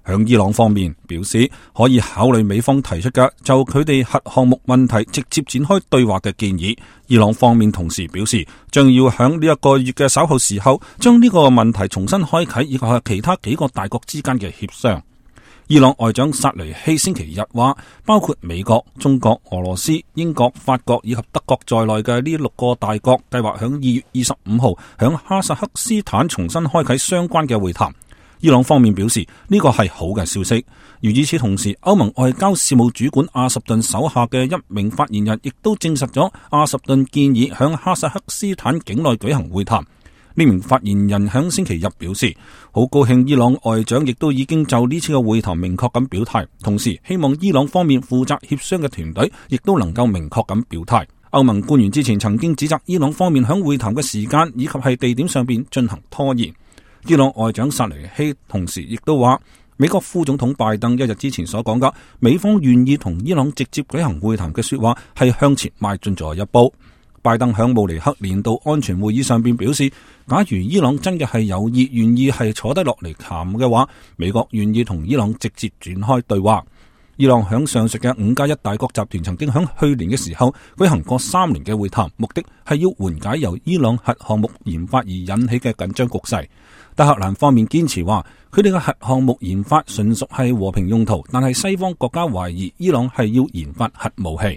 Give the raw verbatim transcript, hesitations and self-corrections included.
響伊朗方面表示，可以考慮美方提出嘅就佢哋核項目問題直接展開對話嘅建議。伊朗方面同時表示，將要響呢一個月嘅稍後時候，將呢個問題重新開啟，以及係其他幾個大國之間嘅協商。伊朗外長薩雷希星期日話，包括美國、中國、俄羅斯、英國、法國以及德國在內嘅呢六個大國，計劃響二月二十五號響哈薩克斯坦重新開啟相關嘅會談。伊朗方面表示呢個係好嘅消息。而與此同時，歐盟外交事務主管阿什頓手下嘅一名發言人亦都證實咗阿什頓建議響哈薩克斯坦境內舉行會談。呢名發言人響星期日表示，好高興伊朗外長亦都已經就呢次嘅會談明確咁表態，同時希望伊朗方面負責協商嘅團隊亦都能夠明確咁表態。歐盟官員之前曾經指責伊朗方面響會談嘅時間以及係地點上邊進行拖延。伊朗外長薩雷希同時亦都話，美國副總統拜登一日之前所講嘅美方願意同伊朗直接舉行會談嘅說話係向前邁進咗一步。拜登響慕尼黑年度安全會議上邊表示，假如伊朗真嘅係有意願意係坐低落嚟談嘅話，美國願意同伊朗直接展開對話。伊朗響上述嘅五加一大國集團曾經響去年嘅時候舉行過三年嘅會談，目的係要緩解由伊朗核項目研發而引起嘅緊張局勢。德黑蘭方面堅持話，佢哋嘅核項目研發純屬係和平用途，但係西方國家懷疑伊朗係要研發核武器。